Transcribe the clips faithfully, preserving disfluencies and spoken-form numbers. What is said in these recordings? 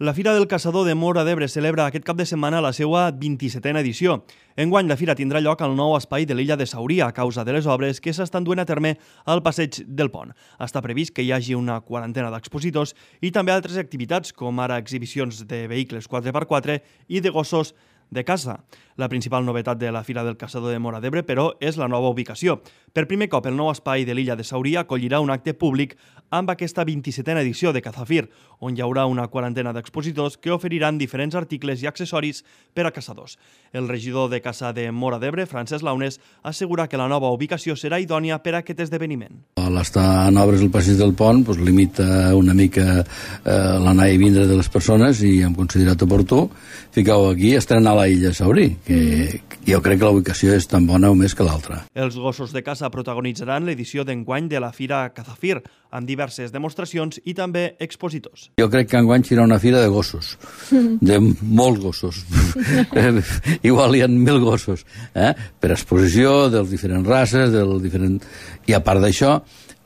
La Fira del Caçador de Móra d'Ebre celebra aquest cap de setmana la seva vint-i-setena edició. Enguany la fira tindrà lloc al nou espai de l'illa de Sauria a causa de les obres que s'estan duent a terme al passeig del pont. Està previst que hi hagi una quarantena d'expositors i també altres activitats com ara exhibicions de vehicles quatre per quatre i de gossos de caça. La principal novetat de la Fira del Caçador de Móra d'Ebre, però, és la nova ubicació. Per primer cop, el nou espai de l'illa de Sauria acollirà un acte públic amb aquesta vint-i-setena edició de Cazafir, on hi haurà una quarantena d'expositors que oferiran diferents articles i accessoris per a caçadors. El regidor de caça de Móra d'Ebre, Francesc Launes, assegura que la nova ubicació serà idònia per a aquest esdeveniment. L'estar en obres al passeig del pont doncs, limita una mica eh, l'anar i vindre de les persones i hem considerat oportú ficar-ho aquí, estrenar la illa Saurí, que jo crec que la ubicació és tan bona o més que l'altra. Els gossos de caça protagonitzaran l'edició d'enguany de la Fira Cazafir, amb diverses demostracions i també expositors. Jo crec que enguany serà una fira de gossos, de molts gossos. Igual hi ha mil gossos, eh? Per exposició dels diferents races, del diferent... i a part d'això,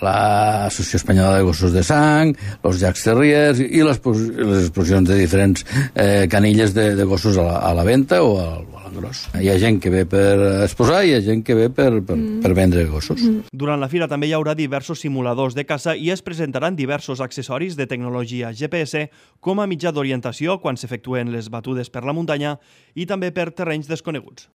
l'Associació Espanyola de Gossos de Sang, els Jacques Terriers i les, les exposicions de diferents eh, canilles de, de gossos a la, a la venda o al, a l'engròs. Hi ha gent que ve per exposar i hi ha gent que ve per, per, per vendre gossos. Durant la fira també hi haurà diversos simuladors de caça i es presentaran diversos accessoris de tecnologia G P S com a mitjà d'orientació quan s'efectuen les batudes per la muntanya i també per terrenys desconeguts.